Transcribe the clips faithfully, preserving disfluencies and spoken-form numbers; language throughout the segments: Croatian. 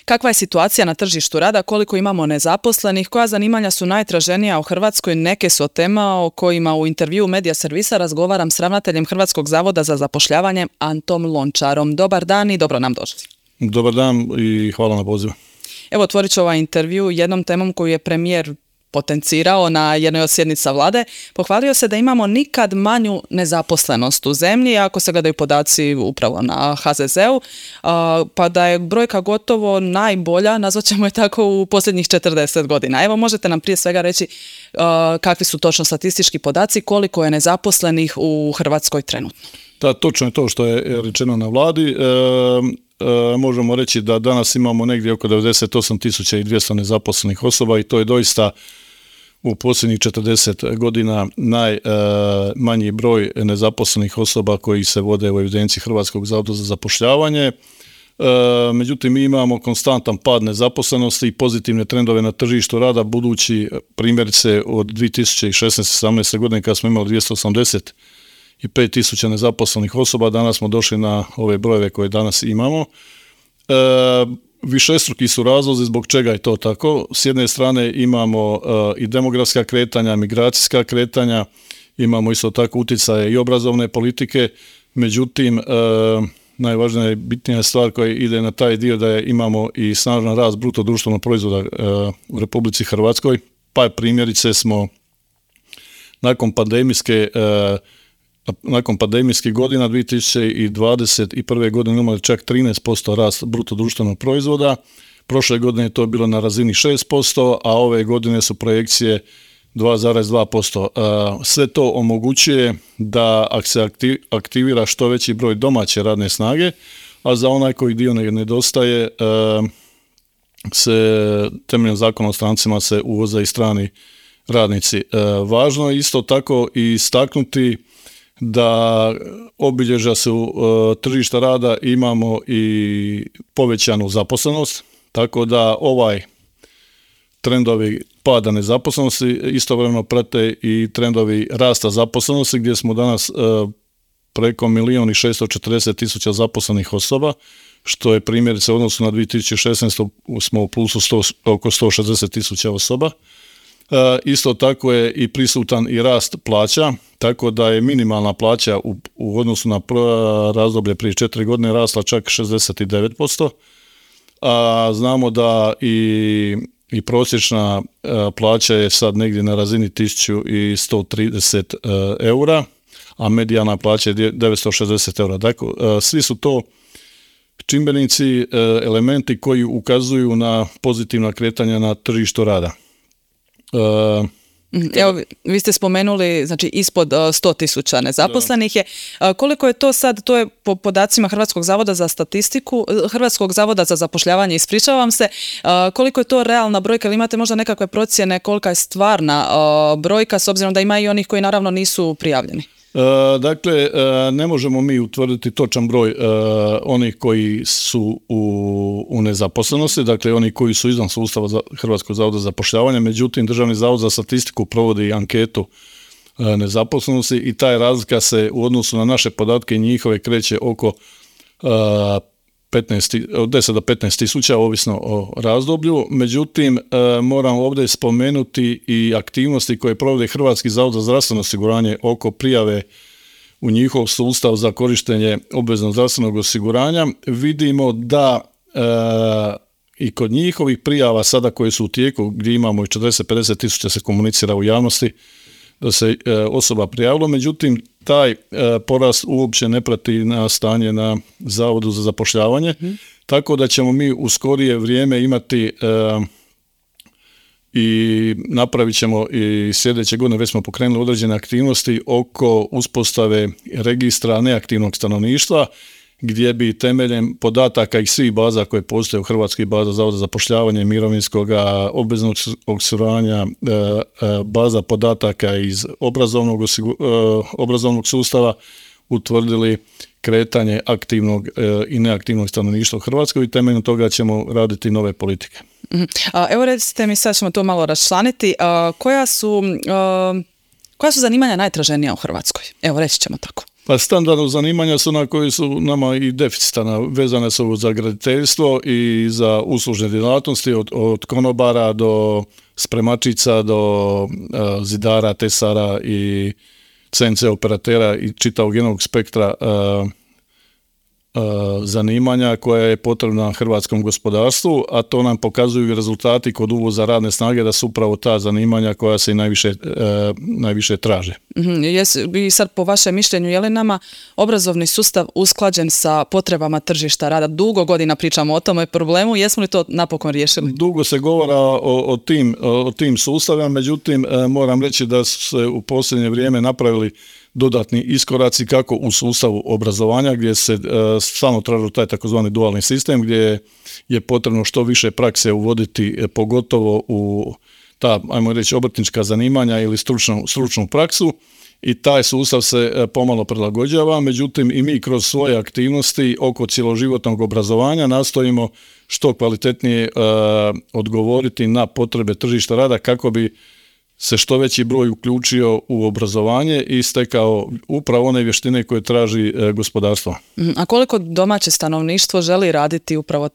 kakva je situacija na tržištu rada, koliko imamo nezaposlenih, koja zanimanja su najtraženija u Hrvatskoj, neke su od tema o kojima u intervju Medija servisa razgovaram s ravnateljem Hrvatskog zavoda za zapošljavanje Antom Lončarom. Dobar dan i dobro nam došli. Dobar dan i hvala na pozivu. Evo, otvorit ću ovaj intervju jednom temom koju je premijer potencirao na jednoj od sjednica vlade. Pohvalio se da imamo nikad manju nezaposlenost u zemlji, ako se gledaju podaci upravo na ha ze zeu, pa da je brojka gotovo najbolja, nazvat ćemo je tako, u posljednjih četrdeset godina. Evo, možete nam prije svega reći kakvi su točno statistički podaci, koliko je nezaposlenih u Hrvatskoj trenutno? Da, točno je to što je rečeno na vladi. E, e, možemo reći da danas imamo negdje oko devedeset osam tisuća dvjesto nezaposlenih osoba i to je doista u posljednjih četrdeset godina najmanji e, broj nezaposlenih osoba koji se vode u evidenciji Hrvatskog zavoda za zapošljavanje. E, međutim, mi imamo konstantan pad nezaposlenosti i pozitivne trendove na tržištu rada, budući primjerice od dvije tisuće šesnaeste sedamnaeste godine kada smo imali dvjesto osamdeset pet tisuća nezaposlenih osoba, danas smo došli na ove brojeve koje danas imamo. E, višestruki su razlozi zbog čega je to tako. S jedne strane imamo e, i demografska kretanja, migracijska kretanja, imamo isto tako utjecaje i obrazovne politike, međutim e, najvažnija i bitnija stvar koja ide na taj dio da je imamo i snažan rast bruto društvenog proizvoda e, u Republici Hrvatskoj, pa primjerice smo nakon pandemijske e, Nakon pandemijskih godina dvije tisuće dvadeset prve. godine imali čak trinaest posto rast bruto društvenog proizvoda. Prošle godine je to bilo na razini šest posto, a ove godine su projekcije dva zarez dva posto. Sve to omogućuje da ako se aktivira što veći broj domaće radne snage, a za onaj koji dio nedostaje se temeljem zakona o strancima se uvoze i strani radnici. Važno je isto tako i istaknuti da obilježja su uh, tržišta rada, imamo i povećanu zaposlenost, tako da ovaj trendovi pada nezaposlenosti istovremeno prate i trendovi rasta zaposlenosti, gdje smo danas uh, preko milijun i šesto četrdeset tisuća zaposlenih osoba, što je primjerice u odnosu na dvije tisuće šesnaestu. smo u plusu sto, oko sto šezdeset tisuća osoba. Uh, isto tako je i prisutan i rast plaća, tako da je minimalna plaća u, u odnosu na razdoblje prije četiri godine rasla čak šezdeset devet posto, a znamo da i, i prosječna uh, plaća je sad negdje na razini tisuću sto trideset uh, eura, a medijana plaća je devetsto šezdeset eura. Dakle, uh, svi su to čimbenici, uh, elementi koji ukazuju na pozitivna kretanja na tržištu rada. Uh, Evo, vi ste spomenuli, znači ispod sto tisuća nezaposlenih je. Koliko je to sad, to je po podacima Hrvatskog zavoda za statistiku, Hrvatskog zavoda za zapošljavanje, ispričavam se, koliko je to realna brojka, ili imate možda nekakve procjene kolika je stvarna brojka, s obzirom da ima i onih koji naravno nisu prijavljeni? E, dakle, e, ne možemo mi utvrditi točan broj e, onih koji su u, u nezaposlenosti, dakle oni koji su izvan sustava za Hrvatskog zavoda za zapošljavanje, međutim Državni zavod za statistiku provodi anketu e, nezaposlenosti i taj razlika se u odnosu na naše podatke i njihove kreće oko e, petnaest, od deset do petnaest tisuća, ovisno o razdoblju. Međutim, e, moram ovdje spomenuti i aktivnosti koje provodi Hrvatski zavod za zdravstveno osiguranje oko prijave u njihov sustav za korištenje obveznog zdravstvenog osiguranja. Vidimo da e, i kod njihovih prijava sada koje su u tijeku, gdje imamo i četrdeset do pedeset tisuća se komunicira u javnosti, da se e, osoba prijavila, međutim taj e, porast uopće ne prati na stanje na Zavodu za zapošljavanje, mm. tako da ćemo mi u skorije vrijeme imati e, i napravit ćemo i sljedeće godine, već smo pokrenuli određene aktivnosti oko uspostave registra neaktivnog stanovništva, gdje bi temeljem podataka i svih baza koje postoje u Hrvatskoj, baza Zavoda za zapošljavanje, mirovinskog, obveznog osiguranja, baza podataka iz obrazovnog, obrazovnog sustava, utvrdili kretanje aktivnog i neaktivnog stanovništva u Hrvatskoj i temeljem toga ćemo raditi nove politike. Evo recite mi, sad ćemo to malo raščlaniti, koja su, koja su zanimanja najtraženija u Hrvatskoj? Evo reći ćemo tako. Pa standardno zanimanja su ona koji su nama i deficitana, vezane su za graditeljstvo i za uslužne djelatnosti, od, od konobara do spremačica, do uh, zidara, tesara i C N C operatera i čitavog jednog spektra uh, zanimanja koja je potrebna hrvatskom gospodarstvu, a to nam pokazuju i rezultati kod uvoza radne snage da su upravo ta zanimanja koja se i najviše, e, najviše traže. Mm-hmm. Jes, i sad po vašem mišljenju, je li nama obrazovni sustav usklađen sa potrebama tržišta rada? Dugo godina pričamo o tome problemu, jesmo li to napokon riješili? Dugo se govora o, o, tim, o tim sustavima, međutim moram reći da su se u posljednje vrijeme napravili dodatni iskoraci kako u sustavu obrazovanja gdje se uh, stalno traži taj takozvani dualni sistem gdje je potrebno što više prakse uvoditi, eh, pogotovo u ta, ajmo reći, obrtnička zanimanja ili stručnu, stručnu praksu i taj sustav se eh, pomalo prilagođava, međutim i mi kroz svoje aktivnosti oko cjeloživotnog obrazovanja nastojimo što kvalitetnije uh, odgovoriti na potrebe tržišta rada kako bi se što veći broj uključio u obrazovanje i stekao upravo one vještine koje traži e, gospodarstvo. A koliko domaće stanovništvo želi raditi upravo,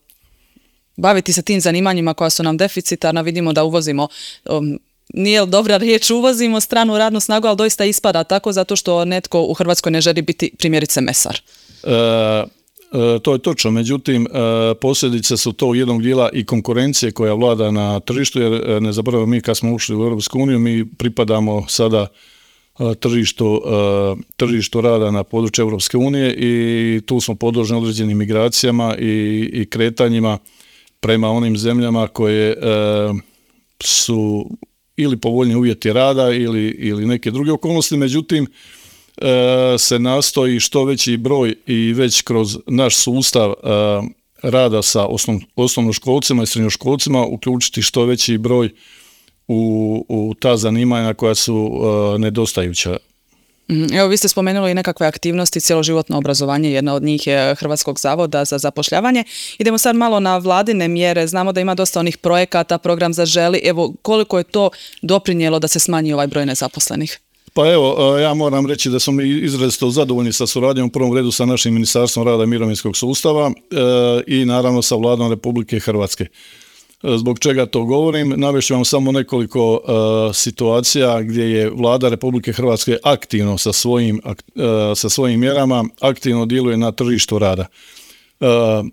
baviti se tim zanimanjima koja su nam deficitarna? Vidimo da uvozimo, um, nije dobra riječ uvozimo stranu radnu snagu, ali doista ispada tako zato što netko u Hrvatskoj ne želi biti primjerice mesar. E, E, to je točno, međutim e, posljedice su to jednog dijela i konkurencije koja vlada na tržištu, jer e, ne zaboravimo, mi kad smo ušli u Europsku uniju, mi pripadamo sada e, tržištu, e, tržištu rada na području Europske unije i tu smo podloženi određenim migracijama i, i kretanjima prema onim zemljama koje e, su ili povoljni uvjeti rada ili, ili neke druge okolnosti, međutim se nastoji što veći broj i već kroz naš sustav rada sa osnov, osnovnoškolcima i srednjoškolcima uključiti što veći broj u, u ta zanimanja koja su nedostajuća. Evo, vi ste spomenuli i nekakve aktivnosti, cjeloživotno obrazovanje, jedna od njih je Hrvatskog zavoda za zapošljavanje. Idemo sad malo na vladine mjere, znamo da ima dosta onih projekata, program Zaželi, evo koliko je to doprinijelo da se smanji ovaj broj nezaposlenih? Pa evo, ja moram reći da smo mi izrazito zadovoljni sa suradnjom u prvom redu sa našim Ministarstvom rada i mirovinskog sustava e, i naravno sa Vladom Republike Hrvatske. E, zbog čega to govorim? Navešću vam samo nekoliko e, situacija gdje je Vlada Republike Hrvatske aktivno sa svojim, ak, e, sa svojim mjerama aktivno djeluje na tržištu rada. E, e,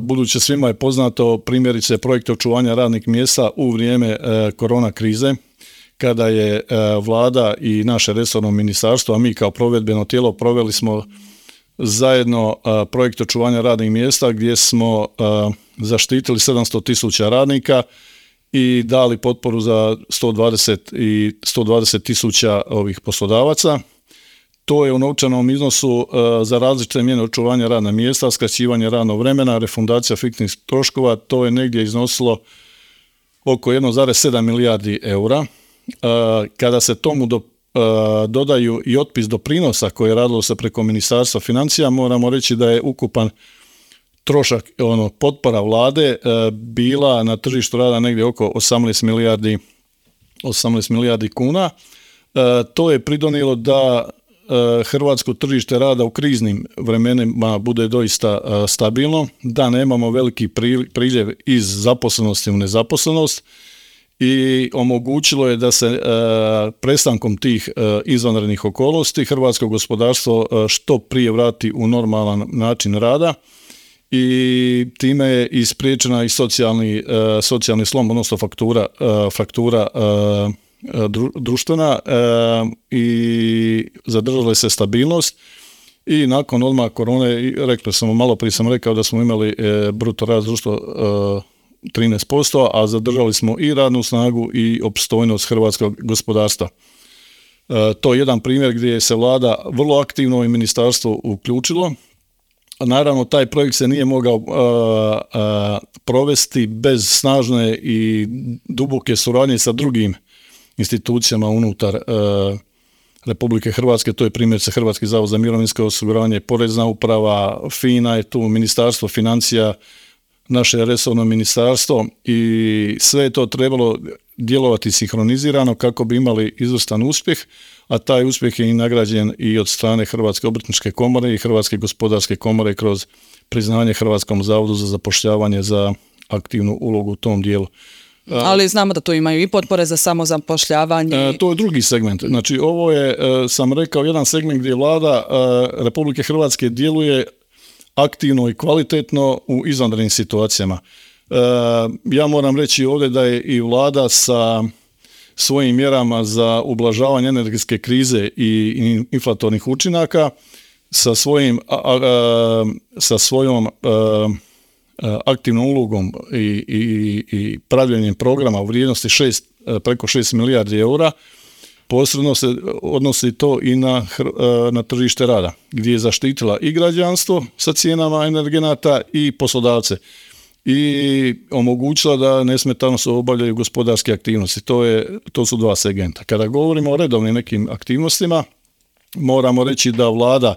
budući svima je poznato primjerice projekte očuvanja radnih mjesta u vrijeme e, korona krize, kada je Vlada i naše resorno ministarstvo, a mi kao provedbeno tijelo proveli smo zajedno projekt očuvanja radnih mjesta gdje smo zaštitili sedamsto tisuća radnika i dali potporu za sto dvadeset i sto dvadeset tisuća ovih poslodavaca. To je u novčanom iznosu za različite mjere očuvanja radna mjesta, skraćivanje radnog vremena, refundacija fiksnih troškova, to je negdje iznosilo oko jedan zarez sedam milijardi eura. Kada se tomu do, dodaju i otpis doprinosa koje je radilo se preko Ministarstva financija, moramo reći da je ukupan trošak ono, potpora vlade bila na tržištu rada negdje oko osamnaest milijardi kuna. To je pridonijelo da hrvatsko tržište rada u kriznim vremenima bude doista stabilno, da nemamo veliki priljev iz zaposlenosti u nezaposlenost i omogućilo je da se e, prestankom tih e, izvanrednih okolnosti hrvatsko gospodarstvo e, što prije vrati u normalan način rada i time je ispriječena i socijalni, e, socijalni slom, odnosno faktura, e, faktura e, dru, društvena e, i zadržala se stabilnost i nakon odmah korone, rekli smo, malo prije sam rekao da smo imali e, bruto rast društva e, trinaest posto, a zadržali smo i radnu snagu i opstojnost hrvatskog gospodarstva. E, to je jedan primjer gdje se Vlada vrlo aktivno i ministarstvo uključilo. A naravno, taj projekt se nije mogao a, a, provesti bez snažne i duboke suradnje sa drugim institucijama unutar a, Republike Hrvatske. To je primjerice Hrvatski zavod za mirovinsko osiguranje, Porezna uprava, FINA je tu, Ministarstvo financija, naše resorno ministarstvo i sve je to trebalo djelovati sinhronizirano kako bi imali izvrstan uspjeh, a taj uspjeh je i nagrađen i od strane Hrvatske obrtničke komore i Hrvatske gospodarske komore kroz priznanje Hrvatskom zavodu za zapošljavanje za aktivnu ulogu u tom dijelu. Ali znamo da tu imaju i potpore za samozapošljavanje. E, to je drugi segment. Znači, ovo je, e, sam rekao, jedan segment gdje vlada e, Republike Hrvatske djeluje aktivno i kvalitetno u izvanrednim situacijama. E, ja moram reći ovdje da je i vlada sa svojim mjerama za ublažavanje energetske krize i inflatornih učinaka, sa, svojim, a, a, sa svojom a, aktivnom ulogom i, i, i pravljenjem programa u vrijednosti šest, preko šest milijardi eura, posredno se odnosi to i na, na tržište rada, gdje je zaštitila i građanstvo sa cijenama energenata i poslodavce i omogućila da nesmetano se obavljaju gospodarske aktivnosti. To, je, to su dva segmenta. Kada govorimo o redovnim nekim aktivnostima, moramo reći da vlada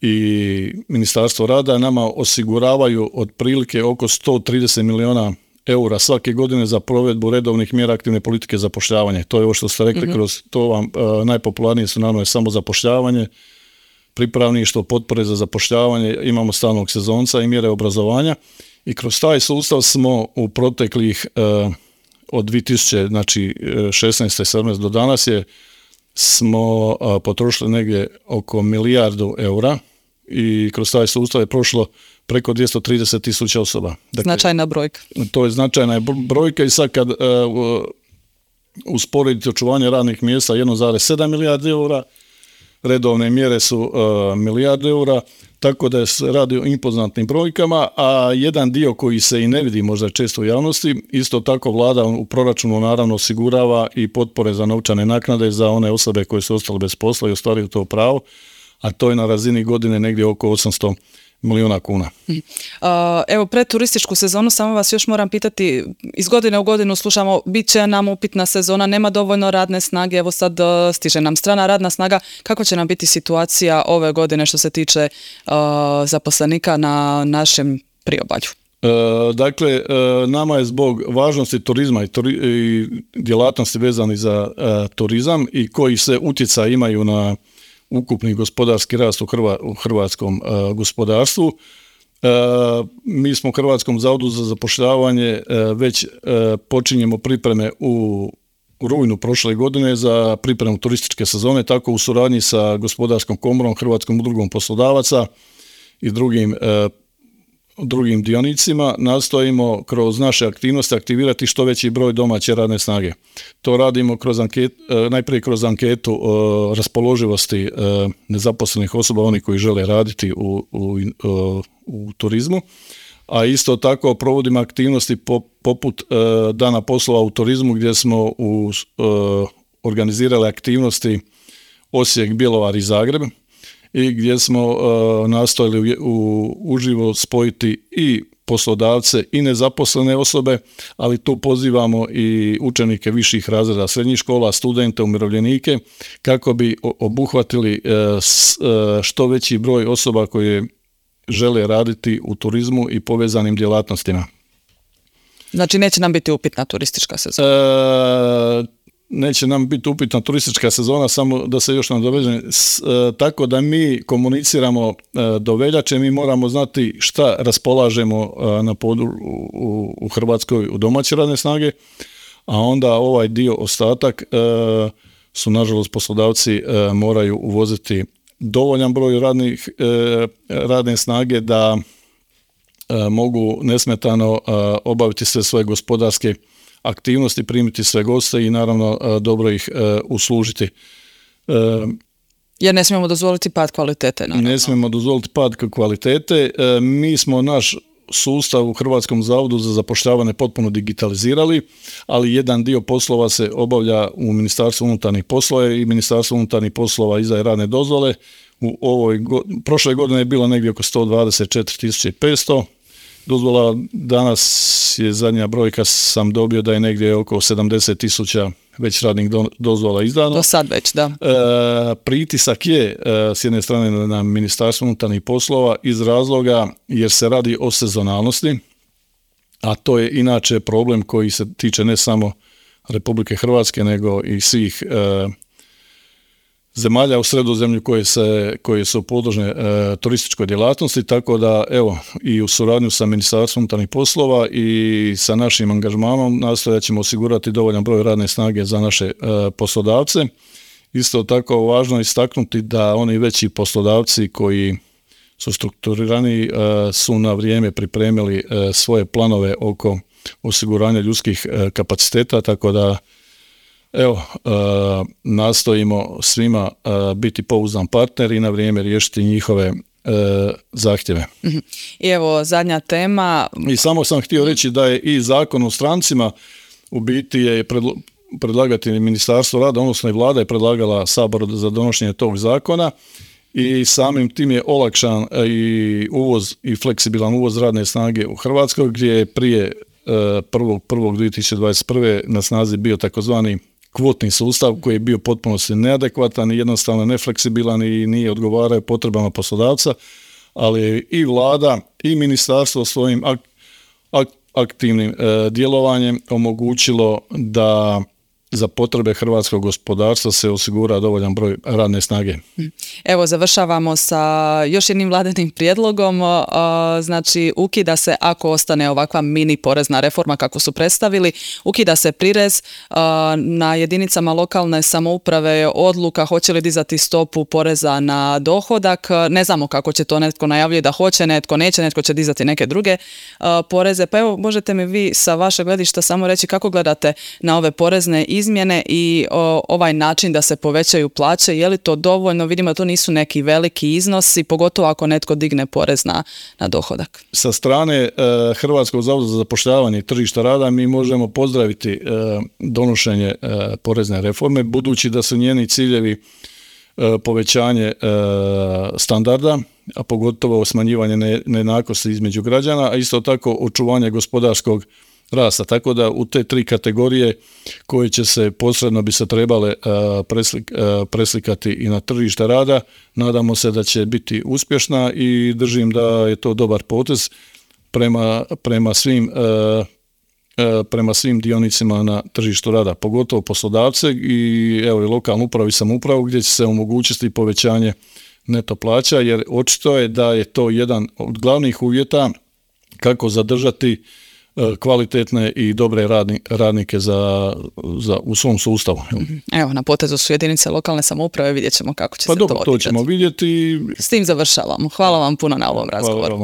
i Ministarstvo rada nama osiguravaju otprilike oko sto trideset milijuna eura svake godine za provedbu redovnih mjera aktivne politike zapošljavanja. To je ovo što ste rekli, mm-hmm. kroz to vam uh, najpopularnije su naravno samo zapošljavanje, pripravništvo, potpore za zapošljavanje, imamo stalnog sezonca i mjere obrazovanja i kroz taj sustav smo u proteklih uh, od dvije tisuće šesnaeste. sedamnaeste do danas je smo uh, potrošili negdje oko milijardu eura i kroz taj sustav je prošlo preko dvjesto trideset tisuća osoba. Dakle, značajna brojka. To je značajna brojka i sad kad uh, usporedite očuvanje radnih mjesta jedan zarez sedam milijardi eura, redovne mjere su uh, milijardu eura, tako da se radi o impozantnim brojkama, a jedan dio koji se i ne vidi možda često u javnosti, isto tako vlada u proračunu naravno osigurava i potpore za novčane naknade za one osobe koje su ostale bez posla i ostvaruju to pravo, a to je na razini godine negdje oko osamsto milijuna kuna. Uh, evo, pred turističku sezonu samo vas još moram pitati, iz godine u godinu slušamo, bit će nam upitna sezona, nema dovoljno radne snage, evo sad uh, stiže nam strana radna snaga, kako će nam biti situacija ove godine što se tiče uh, zaposlenika na našem priobalju? E, dakle, e, nama je zbog važnosti turizma i, turi, i djelatnosti vezani za e, turizam i koji se utjecaj imaju na ukupni gospodarski rast u, Hrva, u hrvatskom uh, gospodarstvu. Uh, mi smo u Hrvatskom zavodu za zapošljavanje uh, već uh, počinjemo pripreme u, u rujnu prošle godine za pripremu turističke sezone, tako u suradnji sa Gospodarskom komorom, Hrvatskom udrugom poslodavaca i drugim uh, drugim dionicima nastojimo kroz naše aktivnosti aktivirati što veći broj domaće radne snage. To radimo kroz anket, najprije kroz anketu raspoloživosti nezaposlenih osoba, oni koji žele raditi u, u, u turizmu, a isto tako provodimo aktivnosti poput dana poslova u turizmu gdje smo u, organizirali aktivnosti Osijek, Bjelovar i Zagreb, i gdje smo uh, nastojali u, u, uživo spojiti i poslodavce i nezaposlene osobe, ali tu pozivamo i učenike viših razreda srednjih škola, studente, umirovljenike, kako bi obuhvatili uh, s, uh, što veći broj osoba koje žele raditi u turizmu i povezanim djelatnostima. Znači neće nam biti upitna turistička sezona? Uh, Neće nam biti upitna turistička sezona, samo da se još nadovežem, e, tako da mi komuniciramo e, do veljače, mi moramo znati šta raspolažemo e, na podu, u, u Hrvatskoj u domaće radne snage, a onda ovaj dio ostatak e, su nažalost poslodavci e, moraju uvoziti dovoljan broj radnih, e, radne snage da e, mogu nesmetano e, obaviti sve svoje gospodarske aktivnosti, primiti sve goste i naravno dobro ih e, uslužiti. E, Jer ne smijemo dozvoliti pad kvalitete. Naravno. Ne smijemo dozvoliti pad kvalitete. E, mi smo naš sustav u Hrvatskom zavodu za zapošljavanje potpuno digitalizirali, ali jedan dio poslova se obavlja u Ministarstvu unutarnjih poslova i Ministarstvo unutarnjih poslova izdaje radne dozvole. U ovoj go, prošle godine je bilo negdje oko sto dvadeset četiri tisuće petsto dozvola, danas je zadnja brojka sam dobio da je negdje oko sedamdeset tisuća već radnih do, dozvola izdano. Do sad već, da. E, pritisak je e, s jedne strane na Ministarstvo unutarnjih poslova iz razloga jer se radi o sezonalnosti a to je inače problem koji se tiče ne samo Republike Hrvatske, nego i svih e, zemalja u Sredozemlju koje, se, koje su podložne e, turističkoj djelatnosti, tako da evo i u suradnju sa Ministarstvom unutarnjih poslova i sa našim angažmanom nastojat ćemo osigurati dovoljan broj radne snage za naše e, poslodavce. Isto tako važno je istaknuti da oni veći poslodavci koji su strukturirani su na vrijeme pripremili svoje planove oko osiguranja ljudskih kapaciteta, tako da evo, nastojimo svima biti pouzdan partner i na vrijeme riješiti njihove zahtjeve. I evo zadnja tema. I samo sam htio reći da je i Zakon o strancima u biti je predlo- predlagatelj Ministarstvo rada, odnosno i Vlada je predlagala Saboru za donošenje tog zakona i samim tim je olakšan i uvoz i fleksibilan uvoz radne snage u Hrvatskoj, gdje je prije prvog prvog dvije tisuće dvadeset prve na snazi bio takozvani kvotni sustav koji je bio potpuno neadekvatan i jednostavno nefleksibilan i nije odgovarao potrebama poslodavca, ali je i Vlada i ministarstvo svojim ak- ak- aktivnim e, djelovanjem omogućilo da za potrebe hrvatskog gospodarstva se osigura dovoljan broj radne snage. Evo, završavamo sa još jednim vladinim prijedlogom, znači ukida se, ako ostane ovakva mini porezna reforma kako su predstavili, ukida se prirez na jedinicama lokalne samouprave, odluka hoće li dizati stopu poreza na dohodak, ne znamo kako će to, netko najavljuje da hoće, netko neće, netko će dizati neke druge poreze, pa evo možete mi vi sa vašeg gledišta samo reći kako gledate na ove porezne izmjene i o, ovaj način da se povećaju plaće, je li to dovoljno? Vidimo da to nisu neki veliki iznosi, pogotovo ako netko digne porez na, na dohodak. Sa strane e, Hrvatskog zavoda za zapošljavanje i tržišta rada mi možemo pozdraviti e, donošenje e, porezne reforme, budući da su njeni ciljevi e, povećanje e, standarda, a pogotovo smanjivanje ne, nejednakosti između građana, a isto tako očuvanje gospodarskog rasta, tako da u te tri kategorije koje će se posredno bi se trebale uh, preslik, uh, preslikati i na tržište rada, nadamo se da će biti uspješna i držim da je to dobar potez prema, prema svim uh, uh, prema svim dionicima na tržištu rada, pogotovo poslodavce i evo i lokalnu upravu i samoupravu gdje će se omogućiti povećanje neto plaća, jer očito je da je to jedan od glavnih uvjeta kako zadržati kvalitetne i dobre radni, radnike za, za, u svom sustavu. Evo, na potezu su jedinice lokalne samouprave, vidjet ćemo kako će pa se dobro, to odigrati. Pa dobro, to ćemo vidjeti. S tim završavamo. Hvala vam puno na ovom razgovoru.